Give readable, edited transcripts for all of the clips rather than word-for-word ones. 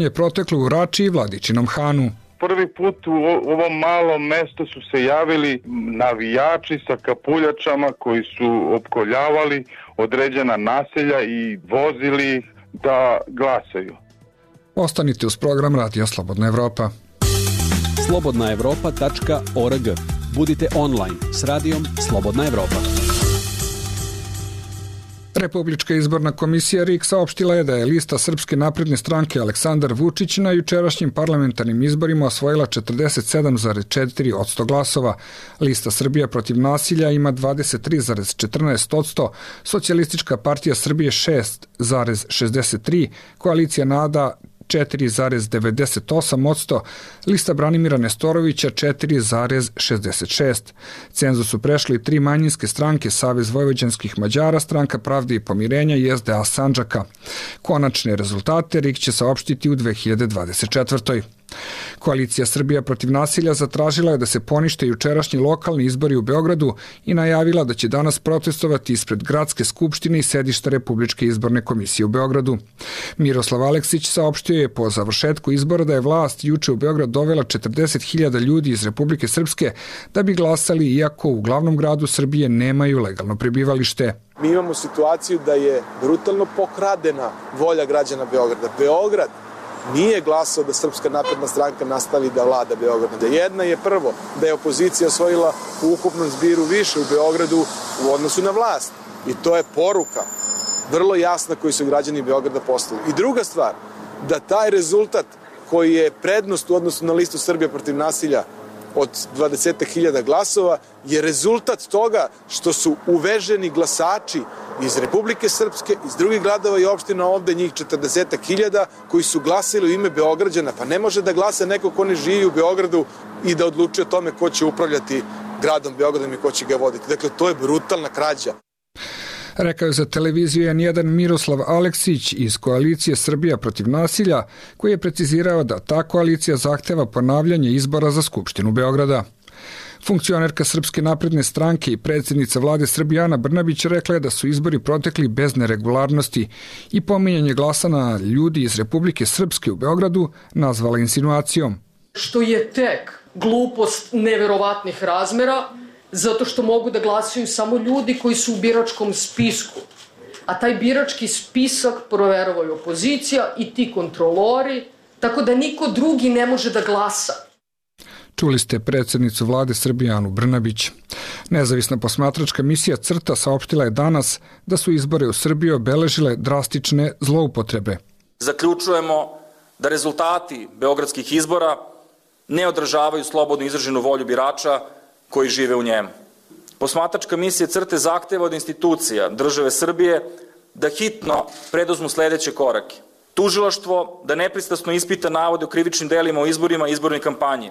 je proteklo u Rači i Vladičinom Hanu. Prvi put u ovom malom mestu su se javili navijači sa kapuljačama koji su opkoljavali određena naselja i vozili ih da glasaju. Ostanite uz program Radio Slobodna Evropa. slobodnaevropa.org. Budite online s radijom Slobodna Evropa. Republička izborna komisija RIK saopštila je da je lista Srpske napredne stranke Aleksandar Vučić na jučerašnjim parlamentarnim izborima osvojila 47,4% glasova. Lista Srbija protiv nasilja ima 23,14%, Socijalistička partija Srbije 6,63%, koalicija NADA 4,98%, lista Branimira Nestorovića 4,66%. Cenzus su prešli 3 manjinske stranke, Savez vojvođanskih Mađara, Stranka pravde i pomirenja i SDA Sandžaka. Konačne rezultate RIK će saopštiti u 2024. Koalicija Srbija protiv nasilja zatražila je da se ponište jučerašnji lokalni izbori u Beogradu i najavila da će danas protestovati ispred Gradske skupštine i sedišta Republičke izborne komisije u Beogradu. Miroslav Aleksić saopštio je po završetku izbora da je vlast juče u Beograd dovela 40.000 ljudi iz Republike Srpske da bi glasali, iako u glavnom gradu Srbije nemaju legalno prebivalište. Mi imamo situaciju da je brutalno pokradena volja građana Beograda. Beograd nije glasao da Srpska napredna stranka nastavi da vlada Beograd. Jedna je prvo da je opozicija osvojila u ukupnom zbiru više u Beogradu u odnosu na vlast. I to je poruka vrlo jasna koju su građani Beograda poslali. I druga stvar, da taj rezultat koji je prednost u odnosu na listu Srbija protiv nasilja od 20.000 glasova je rezultat toga što su uveženi glasači iz Republike Srpske, iz drugih gradova i opština, ovde njih 40.000 koji su glasili u ime Beograđana. Pa ne može da glasa neko ko ne živi u Beogradu i da odlučuje o tome ko će upravljati gradom Beogradom i ko će ga voditi. Dakle, to je brutalna krađa. Rekao je za televiziju N1 Miroslav Aleksić iz koalicije Srbija protiv nasilja, koji je precizirao da ta koalicija zahteva ponavljanje izbora za Skupštinu Beograda. Funkcionerka Srpske napredne stranke i predsjednica vlade Srbije Ana Brnabić rekla je da su izbori protekli bez neregularnosti i pominjanje glasa na ljudi iz Republike Srpske u Beogradu nazvala insinuacijom. Što je tek glupost neverovatnih razmera, zato što mogu da glasaju samo ljudi koji su u biračkom spisku. A taj birački spisak proveravaju opozicija i ti kontrolori, tako da niko drugi ne može da glasa. Čuli ste predsjednicu vlade Srbije Anu Brnabić. Nezavisna posmatračka misija CRTA saopštila je danas da su izbore u Srbiji obeležile drastične zloupotrebe. Zaključujemo da rezultati beogradskih izbora ne odražavaju slobodno izraženu volju birača koji žive u njemu. Posmatračka misija CRTA zahteva od institucija države Srbije da hitno preduzmu sledeće korake. Tužilaštvo da nepristrasno ispita navode o krivičnim delima o izborima i izbornoj kampanji,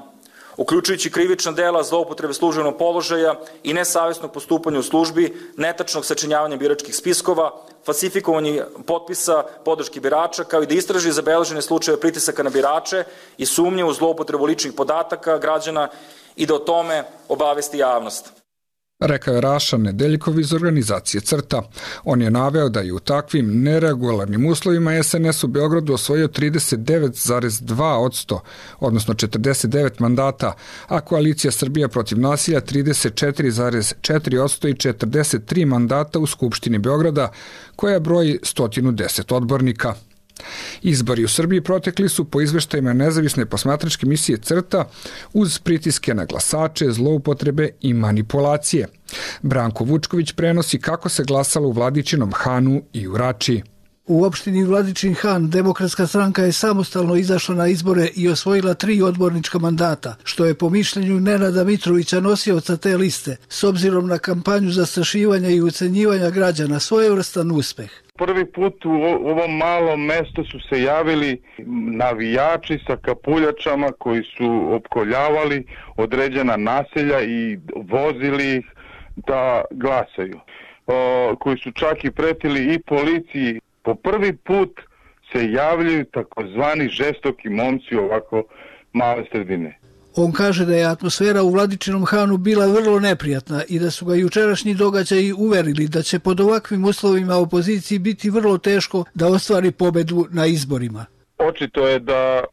uključujući krivična dela zloupotrebe službenog položaja i nesavesnog postupanja u službi, netačnog sačinjavanja biračkih spiskova, falsifikovanje potpisa podrške birača, kao i da istraži zabeležene slučajeve pritisaka na birače i sumnje u zloupotrebu ličnih podataka građana i da o tome obavesti javnost. Rekao je Raša Nedeljkov iz organizacije CRTA. On je naveo da je u takvim neregularnim uslovima SNS u Beogradu osvojio 39,2%, odnosno 49 mandata, a koalicija Srbija protiv nasilja 34,4% i 43 mandata u Skupštini Beograda, koja broji 110 odbornika. Izbori u Srbiji protekli su po izveštajima nezavisne posmatračke misije CRTA uz pritiske na glasače, zloupotrebe i manipulacije. Branko Vučković prenosi kako se glasalo u Vladičinom Hanu i u Rači. U opštini Vladičin Han Demokratska stranka je samostalno izašla na izbore i osvojila 3 odbornička mandata, što je po mišljenju Nenada Mitrovića, nosioca te liste, s obzirom na kampanju zastrašivanja i ucenjivanja građana, svojevrstan uspeh. Prvi put u ovom malom mestu su se javili navijači sa kapuljačama koji su opkoljavali određena naselja i vozili ih da glasaju, koji su čak i pretili i policiji. Po prvi put se javljaju takozvani žestoki momci ovako male sredine. On kaže da je atmosfera u Vladičinom Hanu bila vrlo neprijatna i da su ga jučerašnji događaji uverili da će pod ovakvim uslovima opoziciji biti vrlo teško da ostvari pobedu na izborima. Očito je da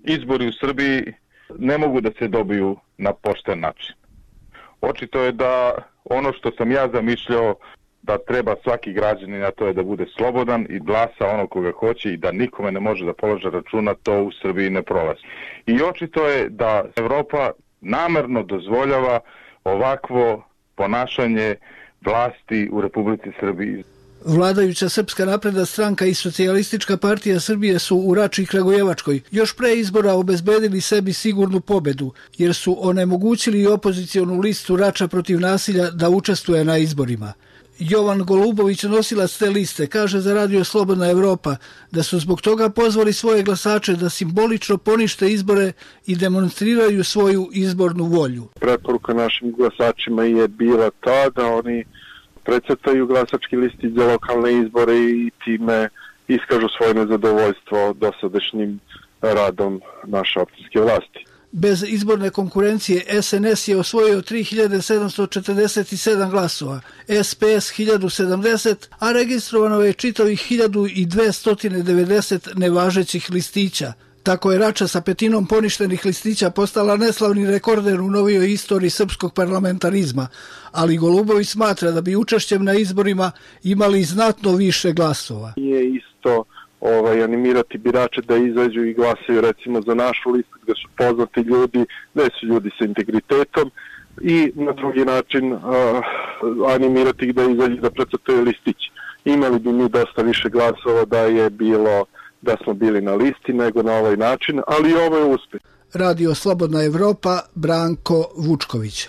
izbori u Srbiji ne mogu da se dobiju na pošten način. Očito je da ono što sam ja zamišljao da treba svaki građanin, a to je da bude slobodan i glasa ono koga hoće i da nikome ne može da položi računa, to u Srbiji ne prolazi. I očito je da Evropa namerno dozvoljava ovakvo ponašanje vlasti u Republici Srbiji. Vladajuća Srpska napredna stranka i Socijalistička partija Srbije su u Rači i Kragujevačkoj još pre izbora obezbedili sebi sigurnu pobedu, jer su onemogućili opozicionu listu Rača protiv nasilja da učestvuje na izborima. Jovan Golubović, nosilac te liste, kaže za Radio Slobodna Evropa da su zbog toga pozvali svoje glasače da simbolično ponište izbore i demonstriraju svoju izbornu volju. Preporuka našim glasačima je bila ta da oni precrtaju glasački listić za lokalne izbore i time iskažu svoje nezadovoljstvo dosadašnjim radom naše opštinske vlasti. Bez izborne konkurencije SNS je osvojio 3747 glasova, SPS 1070, a registrovano je čitavih 1290 nevažećih listića. Tako je Rača sa petinom poništenih listića postala neslavni rekorder u novijoj istoriji srpskog parlamentarizma, ali Golubović smatra da bi učešćem na izborima imali znatno više glasova. Je isto animirati birače da izađu i glasaju recimo za našu listu gde su poznati ljudi, gde su ljudi sa integritetom i na drugi način animirati ih da izađu da precrtaju listić. Imali bi mi dosta više glasova da smo bili na listi nego na ovaj način, ali ovo je uspeh. Radio Slobodna Evropa, Branko Vučković.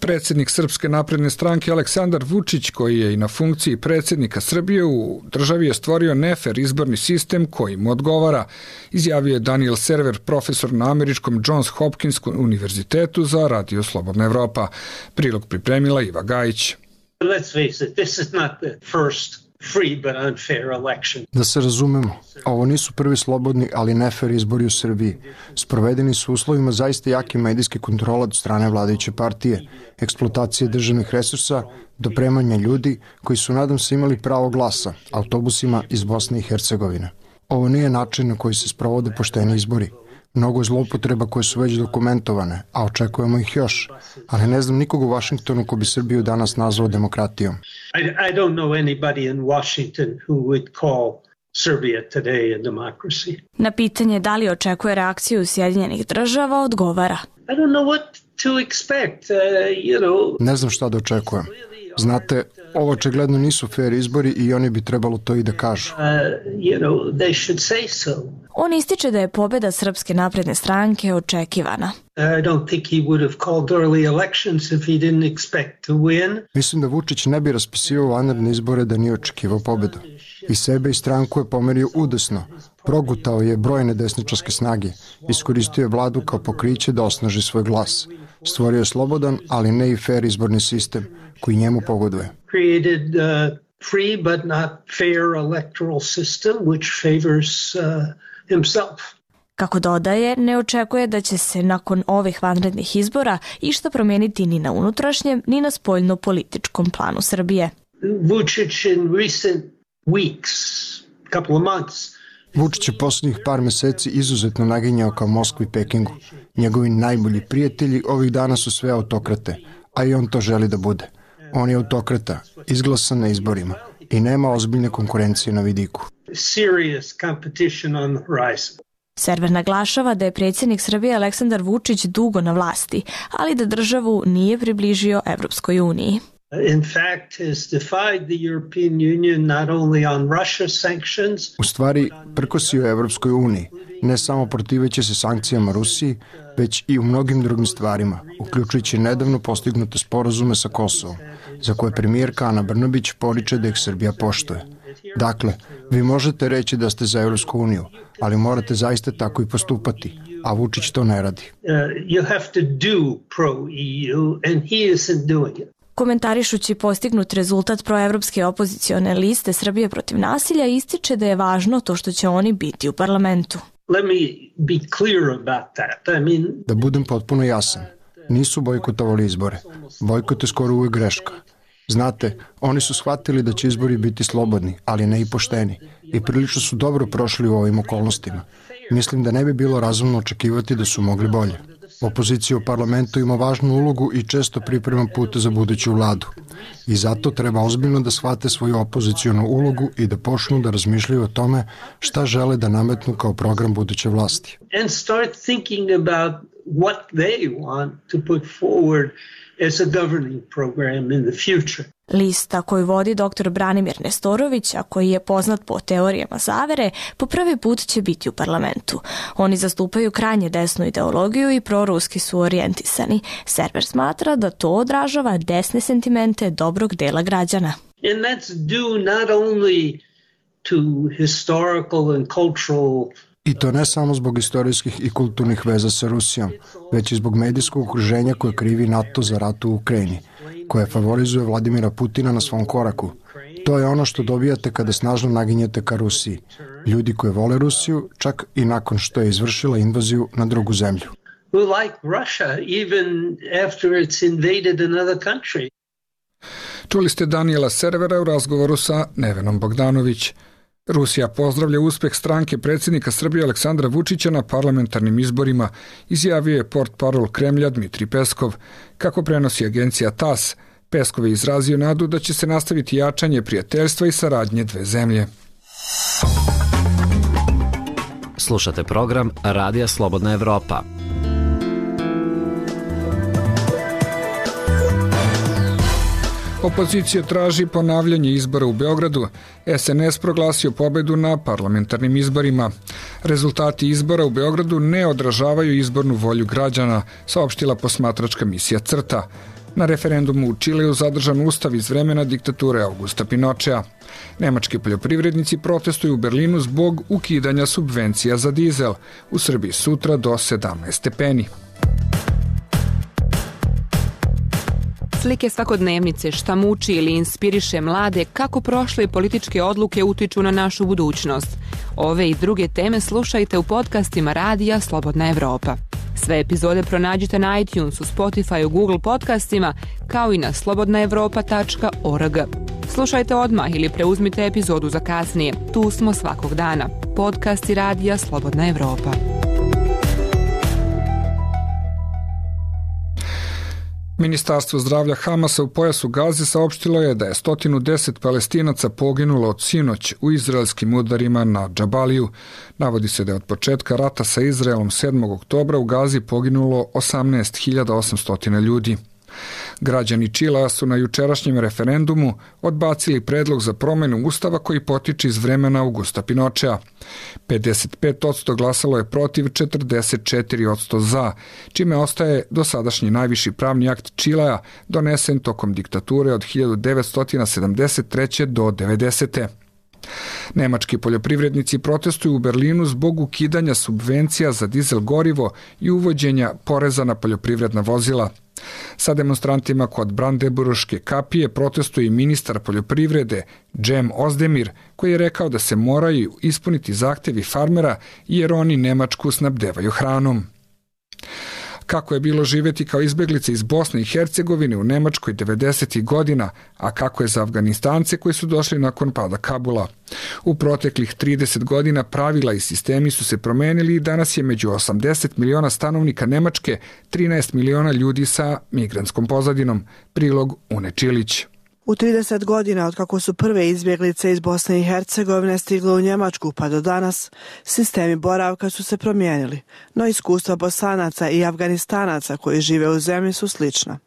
Predsjednik Srpske napredne stranke Aleksandar Vučić, koji je i na funkciji predsjednika Srbije u državi, je stvorio nefer izborni sistem koji mu odgovara, izjavio je Daniel Server, profesor na američkom Johns Hopkinskom univerzitetu za Radio Slobodna Evropa. Prilog pripremila Iva Gajić. Let's face it, this is not the first free but unfair election. Da se razumemo, ovo nisu prvi slobodni, ali nefer izbori u Srbiji. Sprovedeni su uslovima zaista jake medijske kontrole od strane vladajuće partije, eksploatacije državnih resursa, dopremanja ljudi koji su, nadam se, imali pravo glasa, autobusima iz Bosne i Hercegovine. Ovo nije način na koji se sprovode pošteni izbori. Mnogo je zloupotreba koje su već dokumentovane, a očekujemo ih još. Ali ne znam nikog u Vašingtonu ko bi Srbiju danas nazvao demokratijom. I don't know anybody in Washington who would call Serbia today a democracy. Na pitanje da li očekuje reakciju Sjedinjenih država odgovara. I don't know what to expect, Ne znam šta da očekujem. Znate, ovo očigledno nisu fair izbori i oni bi trebalo to i da kažu. They should say so. On ističe da je pobjeda Srpske napredne stranke očekivana. I don't think he would have called early elections if he didn't expect to win. Mislim da Vučić ne bi raspisivao vanredne izbore da nije očekivao pobjedu. I sebe i stranku je pomerio udesno. Progutao je brojne desničarske snage. Iskoristio je vladu kao pokriće da osnaži svoj glas. Stvorio je slobodan, ali ne i fair izborni sistem koji njemu pogoduje. Created free but not fair electoral system which favors himself. Kako dodaje, ne očekuje da će se nakon ovih vanrednih izbora išta promijeniti ni na unutrašnjem, ni na spoljno-političkom planu Srbije. Vučić in recent weeks, couple of months, Vučić je posljednjih par meseci izuzetno naginjao ka Moskvi i Pekingu. Njegovi najbolji prijatelji ovih dana su sve autokrate, a i on to želi da bude. On je autokrata, izglasan na izborima i nema ozbiljne konkurencije na vidiku. Serious competition on the horizon. Server naglašava da je predsjednik Srbije Aleksandar Vučić dugo na vlasti, ali da državu nije približio Evropskoj uniji. In fact, has defied the European Union not only on Russia sanctions. U stvari, prkosio je Evropskoj uniji, ne samo protiveći se sankcijama Rusiji, već i u mnogim drugim stvarima, uključujući nedavno postignute sporazume sa Kosovom, za koje premijerka Ana Brnabić poriče da ih Srbija poštuje. Dakle, vi možete reći da ste za Evropsku uniju, ali morate zaista tako i postupati, a Vučić to ne radi. You have to do pro-EU and he isn't doing it. Komentarišući postignut rezultat proevropske opozicione liste Srbije protiv nasilja, ističe da je važno to što će oni biti u parlamentu. Let me be clear about that. Da budem potpuno jasan, nisu bojkotovali izbore. Bojkot je skoro uvijek greška. Znate, oni su shvatili da će izbori biti slobodni, ali ne i pošteni, i prilično su dobro prošli u ovim okolnostima. Mislim da ne bi bilo razumno očekivati da su mogli bolje. Opozicija u parlamentu ima važnu ulogu i često priprema put za buduću vladu. I zato treba ozbiljno da shvate svoju opozicijonu ulogu i da počnu da razmišljaju o tome šta žele da nametnu kao program buduće vlasti. And start thinking about what they want to put forward as a governing program in the future. Lista koju vodi dr. Branimir Nestorović, a koji je poznat po teorijama zavere, po prvi put će biti u parlamentu. Oni zastupaju krajnje desnu ideologiju i proruski su orijentisani. Server smatra da to odražava desne sentimente dobrog dela građana. And that's due not only to historical and cultural. I to ne samo zbog istorijskih i kulturnih veza sa Rusijom, već i zbog medijskog okruženja koje krivi NATO za rat u Ukrajini, koje favorizuje Vladimira Putina na svom koraku. To je ono što dobijate kada snažno naginjete ka Rusiji. Ljudi koji vole Rusiju, čak i nakon što je izvršila invaziju na drugu zemlju. Who like Russia even after it's invaded another country. Čuli ste Daniela Servera u razgovoru sa Nevenom Bogdanović. Rusija pozdravlja uspeh stranke predsjednika Srbije Aleksandra Vučića na parlamentarnim izborima, izjavio je portparol Kremlja Dmitrij Peskov. Kako prenosi agencija TASS, Peskov je izrazio nadu da će se nastaviti jačanje prijateljstva i saradnje dve zemlje. Slušate program Radija Slobodna Evropa. Opozicija traži ponavljanje izbora u Beogradu. SNS proglasio pobedu na parlamentarnim izborima. Rezultati izbora u Beogradu ne odražavaju izbornu volju građana, saopštila posmatračka misija CRTA. Na referendumu u Čileu zadržan ustav iz vremena diktature Augusta Pinochea. Nemački poljoprivrednici protestuju u Berlinu zbog ukidanja subvencija za dizel. U Srbiji sutra do 17 stepeni. Slike svakodnevnice, šta muči ili inspiriše mlade, kako prošle političke odluke utiču na našu budućnost. Ove i druge teme slušajte u podcastima Radija Slobodna Evropa. Sve epizode pronađite na iTunesu, Spotifyu, Google podcastima, kao i na slobodnaevropa.org. Slušajte odmah ili preuzmite epizodu za kasnije. Tu smo svakog dana. Podcasti Radija Slobodna Evropa. Ministarstvo zdravlja Hamasa u pojasu Gaze saopštilo je da je 110 Palestinaca poginulo od sinoć u izraelskim udarima na Džabaliju. Navodi se da je od početka rata sa Izraelom 7. oktobra u Gazi poginulo 18.800 ljudi. Građani Čilea su na jučerašnjem referendumu odbacili predlog za promjenu ustava koji potiče iz vremena Augusta Pinochea. 55% glasalo je protiv, 44% za, čime ostaje dosadašnji najviši pravni akt Čilea donesen tokom diktature od 1973. do 90. Nemački poljoprivrednici protestuju u Berlinu zbog ukidanja subvencija za dizel gorivo i uvođenja poreza na poljoprivredna vozila. Sa demonstrantima kod Brandenburške kapije protestuje i ministar poljoprivrede Cem Özdemir, koji je rekao da se moraju ispuniti zahtevi farmera jer oni Nemačku snabdevaju hranom. Kako je bilo živjeti kao izbjeglice iz Bosne i Hercegovine u Nemačkoj 90. godina, a kako je za Afganistance koji su došli nakon pada Kabula. U proteklih 30 godina pravila i sistemi su se promenili i danas je među 80 miliona stanovnika Nemačke 13 miliona ljudi sa migrantskom pozadinom. Prilog Une Čilić. U 30 godina od kako su prve izbjeglice iz Bosne i Hercegovine stigle u Njemačku pa do danas, sistemi boravka su se promijenili, no iskustva Bosanaca i Afganistanaca koji žive u zemlji su slična.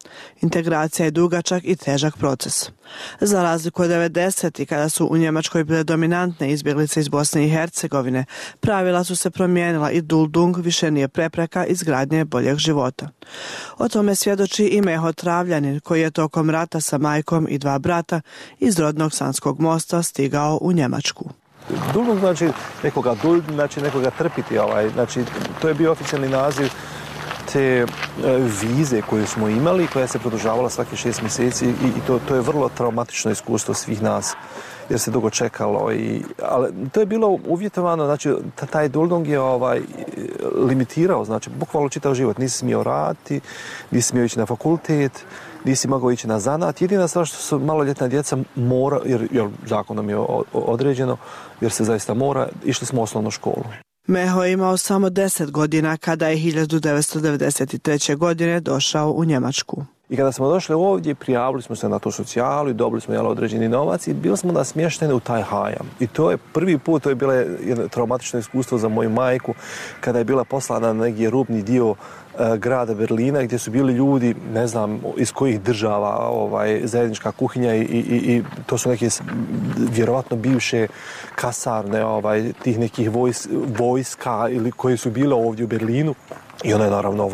Integracija je dugačak i težak proces. Za razliku od 90. kada su u Njemačkoj bile dominantne izbjeglice iz Bosne i Hercegovine, pravila su se promijenila i Duldung više nije prepreka izgradnje boljeg života. O tome svjedoči i Meho Travljanin koji je tokom rata sa majkom i 2 brata iz rodnog Sanskog mosta stigao u Njemačku. Duldung znači nekoga duld, znači nekoga trpiti. Znači, to je bio oficijalni naziv te vize koju smo imali, koja se produžavala svaki 6 mjeseci i to je vrlo traumatično iskustvo svih nas. jer se dugo čekalo. Ali to je bilo uvjetovano, znači taj Duldung je limitirao, znači bukvalno čitav život. Nisi smio raditi, nisi smio ići na fakultet, nisi mogao ići na zanat. Jedina stvar što su maloljetna djeca mora, jer zakonom je određeno, jer se zaista mora, išli smo u osnovnu školu. Meho je imao samo 10 godina kada je 1993. godine došao u Njemačku. I kada smo došli ovdje, prijavili smo se na tu socijalu i dobili smo određeni novac i bili smo smješteni u taj hajam. I to je prvi put, to je bilo jedno traumatično iskustvo za moju majku, kada je bila poslana na neki rubni dio grada Berlina, gdje su bili ljudi, ne znam iz kojih država, zajednička kuhinja i to su neke vjerovatno bivše kasarne tih nekih vojska ili koje su bile ovdje u Berlinu. I ona je naravno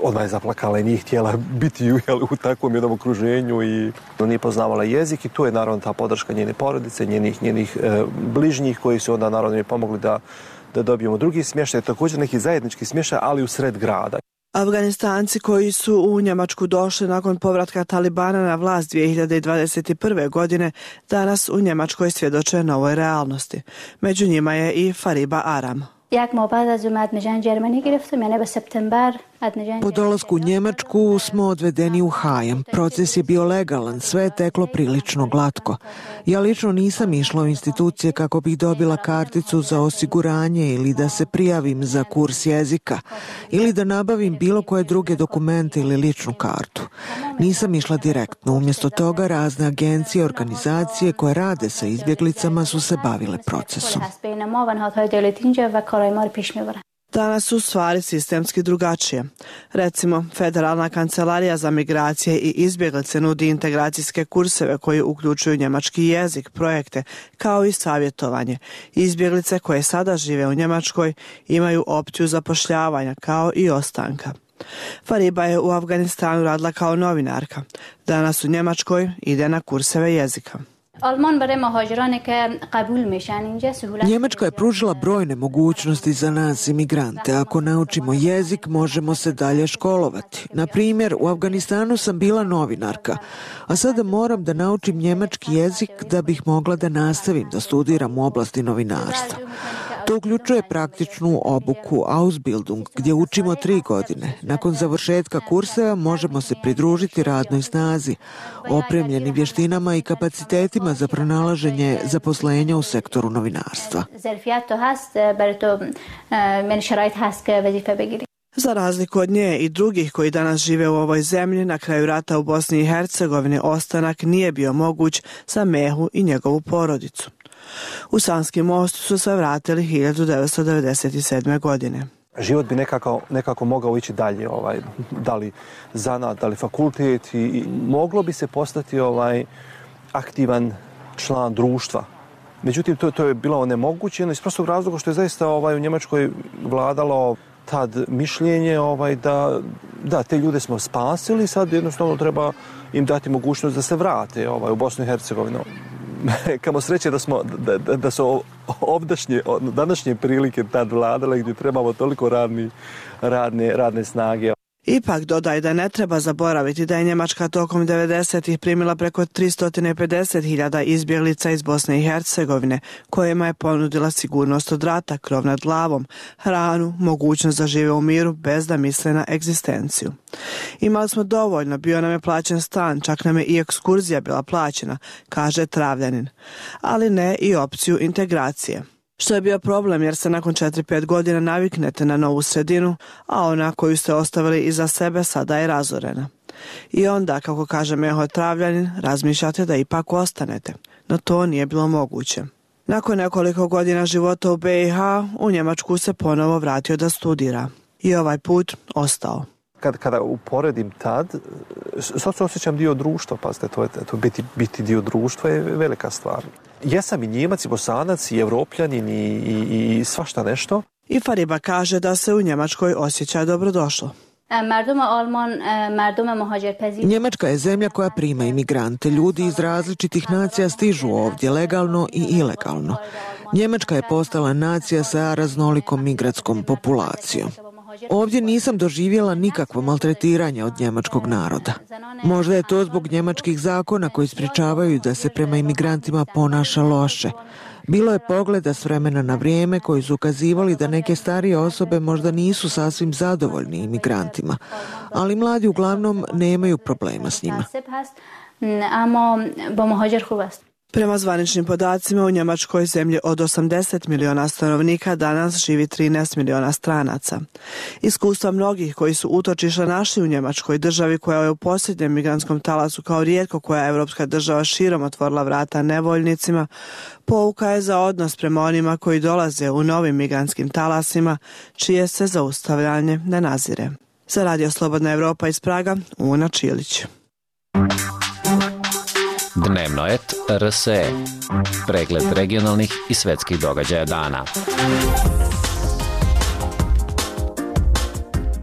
odmah je zaplakala i nije htjela biti u takvom jednom okruženju i nije poznavala jezik i tu je naravno ta podrška njene porodice, njenih bližnjih koji su onda naravno mi pomogli da dobijemo drugi smještaj, također neki zajednički smještaj, ali u sred grada. Afganistanci koji su u Njemačku došli nakon povratka Talibana na vlast 2021. godine danas u Njemačkoj svjedoče novoj realnosti. Među njima je i Fariba Aram. Po dolasku u Njemačku smo odvedeni u hajam. Proces je bio legalan, sve je teklo prilično glatko. Ja lično nisam išla u institucije kako bih dobila karticu za osiguranje ili da se prijavim za kurs jezika ili da nabavim bilo koje druge dokumente ili ličnu kartu. Nisam išla direktno, umjesto toga razne agencije i organizacije koje rade sa izbjeglicama su se bavile procesom. Danas su stvari sistemski drugačije. Recimo, Federalna kancelarija za migracije i izbjeglice nudi integracijske kurseve koji uključuju njemački jezik, projekte, kao i savjetovanje. Izbjeglice koje sada žive u Njemačkoj imaju opciju zapošljavanja, kao i ostanka. Fariba je u Afganistanu radila kao novinarka. Danas u Njemačkoj ide na kurseve jezika. Njemačka je pružila brojne mogućnosti za nas imigrante. Ako naučimo jezik, možemo se dalje školovati. Na primjer, u Afganistanu sam bila novinarka, a sada moram da naučim njemački jezik da bih mogla da nastavim da studiram u oblasti novinarstva. To uključuje praktičnu obuku Ausbildung, gdje učimo 3 godine. Nakon završetka kurseva možemo se pridružiti radnoj snazi, opremljeni vještinama i kapacitetima za pronalaženje zaposlenja u sektoru novinarstva. Za razliku od nje i drugih koji danas žive u ovoj zemlji, na kraju rata u Bosni i Hercegovini ostanak nije bio moguć za Mehu i njegovu porodicu. U Sanski Most su se vratili 1997. godine. Život bi nekako mogao ići dalje, da li zanat, da li fakultet i moglo bi se postati aktivan član društva. Međutim, to je bilo onemogućeno iz prostog razloga što je zaista u Njemačkoj vladalo tad mišljenje da te ljude smo spasili, sad jednostavno treba im dati mogućnost da se vrate u Bosnu i Hercegovinu. Kamo sreće da su današnje prilike tad vladale gdje trebamo toliko radne snage. Ipak dodaj da ne treba zaboraviti da je Njemačka tokom 90-ih primila preko 350.000 izbjeglica iz Bosne i Hercegovine, kojima je ponudila sigurnost od rata, krov nad glavom, hranu, mogućnost da žive u miru bez da misle na egzistenciju. Imali smo dovoljno, bio nam je plaćen stan, čak nam je i ekskurzija bila plaćena, kaže Travljanin, ali ne i opciju integracije. Što je bio problem jer se nakon 4-5 godina naviknete na novu sredinu, a ona koju ste ostavili iza sebe sada je razorena. I onda, kako kaže Meho Travljanin, razmišljate da ipak ostanete, no to nije bilo moguće. Nakon nekoliko godina života u BiH, u Njemačku se ponovo vratio da studira. I ovaj put ostao. Kada uporedim tad, sad se osjećam dio društva, pazite, to biti dio društva je velika stvar. Jesam i Njemac, i Bosanac, i Evropljanin, i svašta nešto. I Fariba kaže da se u Njemačkoj osjeća dobrodošlo. Njemačka je zemlja koja prima imigrante. Ljudi iz različitih nacija stižu ovdje legalno i ilegalno. Njemačka je postala nacija sa raznolikom migratskom populacijom. Ovdje nisam doživjela nikakvo maltretiranje od njemačkog naroda. Možda je to zbog njemačkih zakona koji sprječavaju da se prema imigrantima ponaša loše. Bilo je pogleda s vremena na vrijeme koji su ukazivali da neke starije osobe možda nisu sasvim zadovoljni imigrantima, ali mladi uglavnom nemaju problema s njima. Prema zvaničnim podacima u Njemačkoj, zemlji od 80 miliona stanovnika, danas živi 13 miliona stranaca. Iskustva mnogih koji su utočišta našli u Njemačkoj, državi koja je u posljednjem migrantskom talasu kao rijetko koja evropska država širom otvorila vrata nevoljnicima, pouka je za odnos prema onima koji dolaze u novim migrantskim talasima, čije se zaustavljanje ne nazire. Za Radio Slobodna Evropa iz Praga, Una Čilić. Dnevno et RSE. Pregled regionalnih i svetskih događaja dana.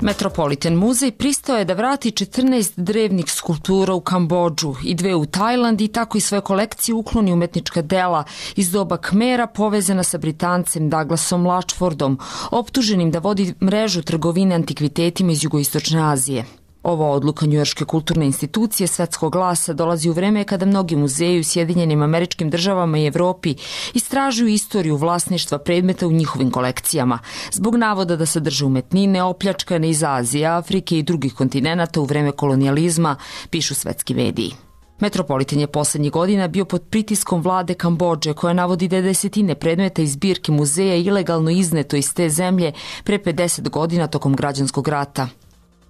Metropolitan muzej pristao je da vrati 14 drevnih skulptura u Kambodžu i 2 u Tajland i tako i svoje kolekcije ukloni umetnička dela iz doba Khmera povezana sa Britancem Douglasom Latchfordom, optuženim da vodi mrežu trgovine antikvitetima iz Jugoistočne Azije. Ova odluka njujorške kulturne institucije Svetskog glasa dolazi u vreme kada mnogi muzeji u Sjedinjenim Američkim Državama i Evropi istražuju istoriju vlasništva predmeta u njihovim kolekcijama, zbog navoda da sadrže umetnine opljačkane iz Azije, Afrike i drugih kontinenata u vreme kolonijalizma, pišu svetski mediji. Metropolitan je poslednjih godina bio pod pritiskom vlade Kambodže, koja navodi da je desetine predmeta iz zbirke muzeja ilegalno izneto iz te zemlje pre 50 godina tokom građanskog rata.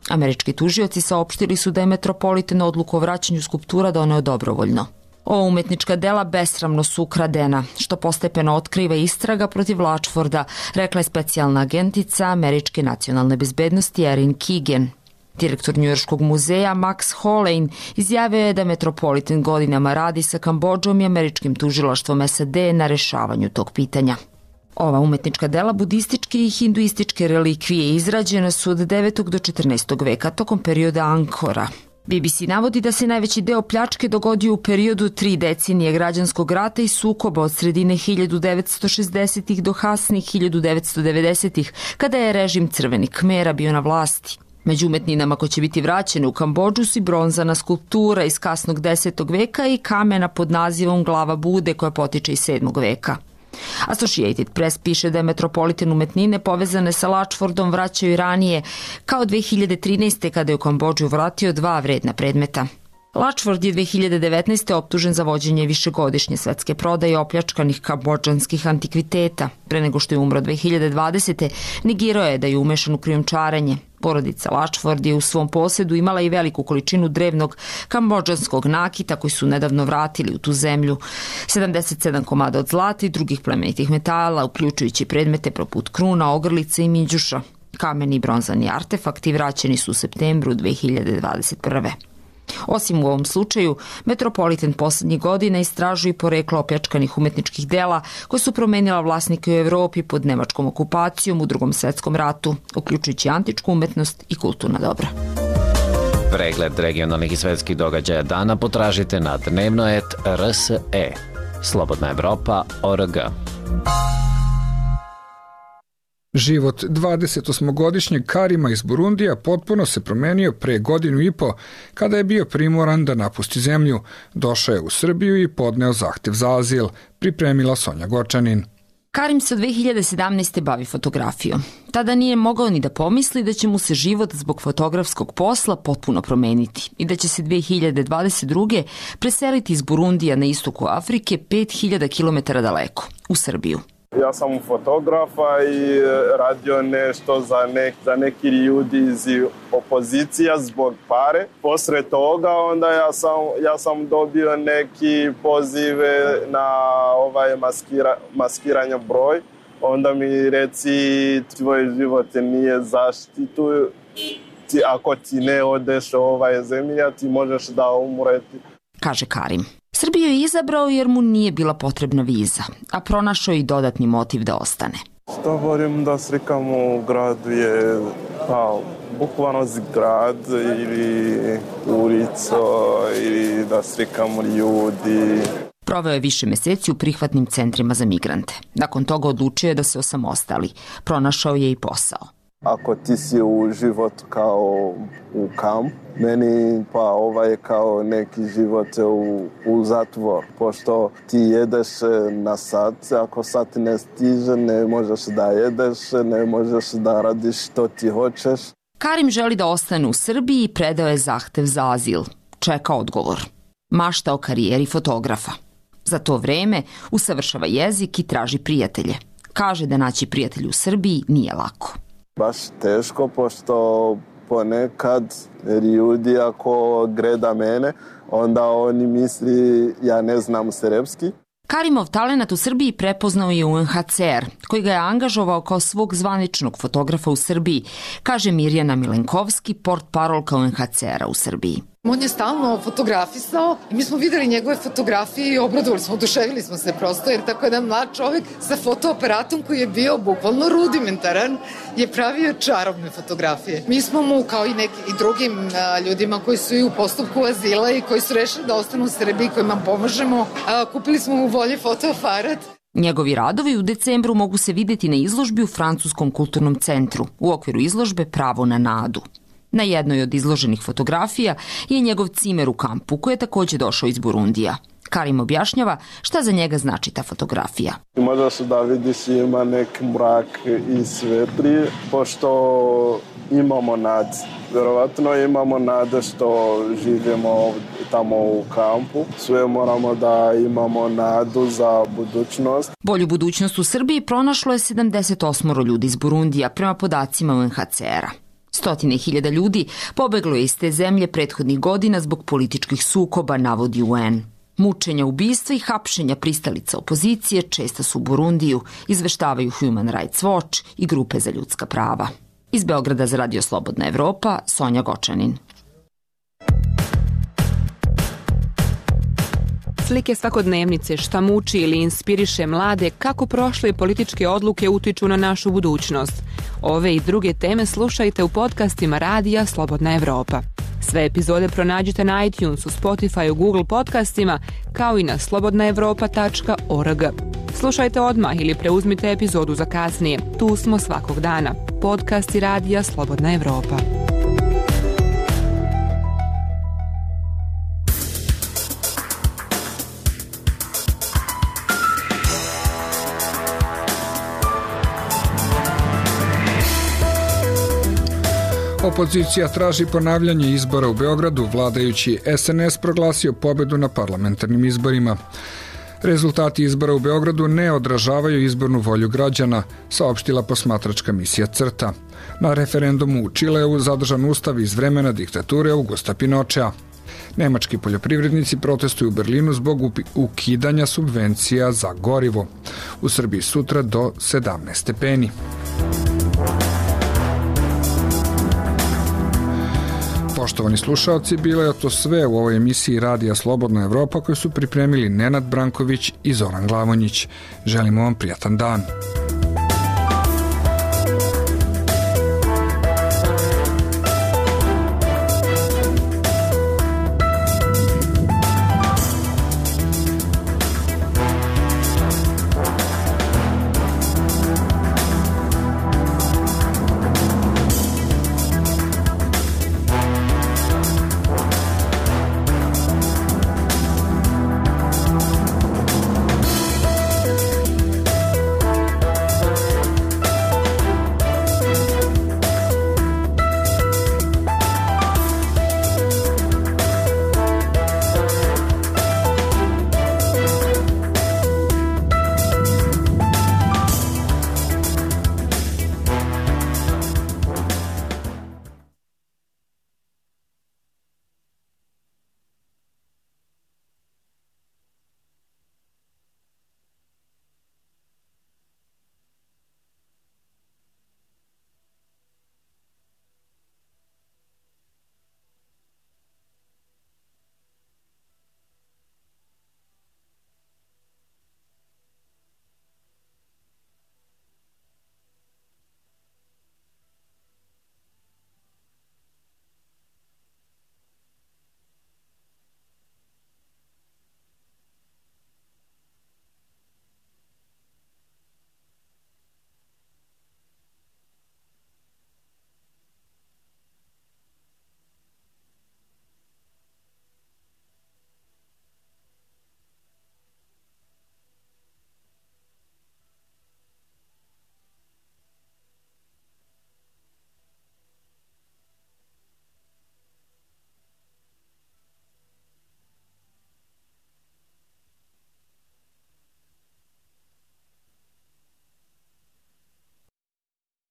Američki tužioci saopštili su da je Metropolitan odluku o vraćanju skulptura doneo dobrovoljno. Ova umetnička dela besramno su ukradena, što postepeno otkriva istraga protiv Latchforda, rekla je specijalna agentica Američke nacionalne bezbednosti Erin Keegan. Direktor njujorškog muzeja Max Holein izjavio je da Metropolitan godinama radi sa Kambodžom i američkim tužilaštvom SAD na rešavanju tog pitanja. Ova umetnička dela budističke i hinduističke relikvije izrađena su od 9. do 14. veka tokom perioda Angkora. BBC navodi da se najveći deo pljačke dogodio u periodu 3 decenije građanskog rata i sukoba od sredine 1960-ih do kasnih 1990-ih, kada je režim Crvenih Khmera bio na vlasti. Među umetninama koje će biti vraćene u Kambodžu su i bronzana skulptura iz kasnog 10. veka i kamena pod nazivom Glava Bude koja potiče iz 7. veka. Associated Press piše da je Metropolitan umetnine povezane sa Latchfordom vraćaju i ranije, kao 2013. kada je u Kambodžu vratio 2 vredna predmeta. Latchford je 2019. optužen za vođenje višegodišnje svetske prodaje opljačkanih kambodžanskih antikviteta. Pre nego što je umro 2020. negirao je da je umešan u krijumčarenje. Porodica Latchford je u svom posedu imala i veliku količinu drevnog kambodžanskog nakita koji su nedavno vratili u tu zemlju. 77 komada od zlata i drugih plemenitih metala, uključujući predmete poput kruna, ogrlice i minđuša. Kameni i bronzani artefakti vraćeni su u septembru 2021. Osim u ovom slučaju, Metropolitan poslednjih godina istražuje poreklo opljačkanih umetničkih dela koje su promenila vlasnike u Evropi pod nemačkom okupacijom u Drugom svetskom ratu, uključujući antičku umetnost i kulturna dobra. Pregled regionalnih i svetskih događaja dana potražite na dnevnoet.rse. Slobodna Evropa.org. Život 28-godišnjeg Karima iz Burundija potpuno se promenio pre 1.5 godina kada je bio primoran da napusti zemlju. Došao je u Srbiju i podneo zahtev za azil, pripremila Sonja Gočanin. Karim se od 2017. bavi fotografijom. Tada nije mogao ni da pomisli da će mu se život zbog fotografskog posla potpuno promeniti i da će se 2022. preseliti iz Burundija na istoku Afrike 5000 km daleko, u Srbiju. Ja sam fotografa i radio nešto za neki ljudi iz opozicija zbog pare. Posle toga onda ja sam dobio neki pozive na maskiranje broj. Onda mi reci tvoj život nije zaštitu. Ako ti ne odeš zemlja, ti možeš da umreti. Kaže Karim. Srbiju je izabrao jer mu nije bila potrebna viza, a pronašao i dodatni motiv da ostane. Što volim da slikam u gradu je bukvalno grad ili ulicu ili da slikam ljudi. Proveo je više meseci u prihvatnim centrima za migrante. Nakon toga odlučio je da se osamostali. Pronašao je i posao. ako ti si u život kao u kamp, meni pa je kao neki život u zatvor, pošto ti jedeš na sat, ako sat ne stiže, ne možeš da jedeš, ne možeš da radiš što ti hoćeš. Karim želi da ostane u Srbiji i predao je zahtev za azil. Čeka odgovor. Mašta o karijeri fotografa. Za to vreme usavršava jezik i traži prijatelje. Kaže da naći prijatelje u Srbiji nije lako. Baš teško, pošto ponekad ljudi ako gleda mene, onda oni misli ja ne znam srpski. Karimov talenat u Srbiji prepoznao je UNHCR, koji ga je angažovao kao svog zvaničnog fotografa u Srbiji, kaže Mirjana Milenkovski, portparolka UNHCR-a u Srbiji. On je stalno fotografisao i mi smo videli njegove fotografije i obradovali smo, oduševili smo se prosto, jer tako jedan mlad čovjek sa fotoaparatom koji je bio bukvalno rudimentaran je pravio čarobne fotografije. Mi smo mu, kao i drugim ljudima koji su i u postupku azila i koji su rešili da ostanu u Srbiji, kojima pomažemo, kupili smo mu bolji fotoaparat. Njegovi radovi u decembru mogu se vidjeti na izložbi u Francuskom kulturnom centru, u okviru izložbe Pravo na nadu. Na jednoj od izloženih fotografija je njegov cimer u kampu, koji je također došao iz Burundija. Karim objašnjava šta za njega znači ta fotografija. Možeš da vidiš ima neki mrak i svetli, pošto imamo nad. Vjerovatno imamo nade što živimo tamo u kampu. Sve moramo da imamo nadu za budućnost. Bolju budućnost u Srbiji pronašlo je 78 ljudi iz Burundija, prema podacima UNHCR-a. Stotine hiljada ljudi pobeglo je iz te zemlje prethodnih godina zbog političkih sukoba, navodi UN. Mučenja, ubistva i hapšenja pristalica opozicije česta su u Burundiju, izveštavaju Human Rights Watch i grupe za ljudska prava. Iz Beograda za Radio Slobodna Evropa, Sonja Gočanin. Slike svakodnevnice, šta muči ili inspiriše mlade, kako prošle političke odluke utiču na našu budućnost. Ove i druge teme slušajte u podcastima Radija Slobodna Evropa. Sve epizode pronađite na iTunesu, Spotify, Google podcastima, kao i na slobodnaevropa.org. Slušajte odmah ili preuzmite epizodu za kasnije. Tu smo svakog dana. Podcasti Radija Slobodna Evropa. Opozicija traži ponavljanje izbora u Beogradu, vladajući SNS proglasio pobedu na parlamentarnim izborima. Rezultati izbora u Beogradu ne odražavaju izbornu volju građana, saopštila posmatračka misija CRTA. Na referendumu u Čileu zadržan ustav iz vremena diktature Augusta Pinochea. Nemački poljoprivrednici protestuju u Berlinu zbog ukidanja subvencija za gorivo. U Srbiji sutra do 17 stepeni. Poštovani slušalci, bilo je to sve u ovoj emisiji Radija Slobodna Evropa koju su pripremili Nenad Branković i Zoran Glavonjić. Želimo vam prijatan dan.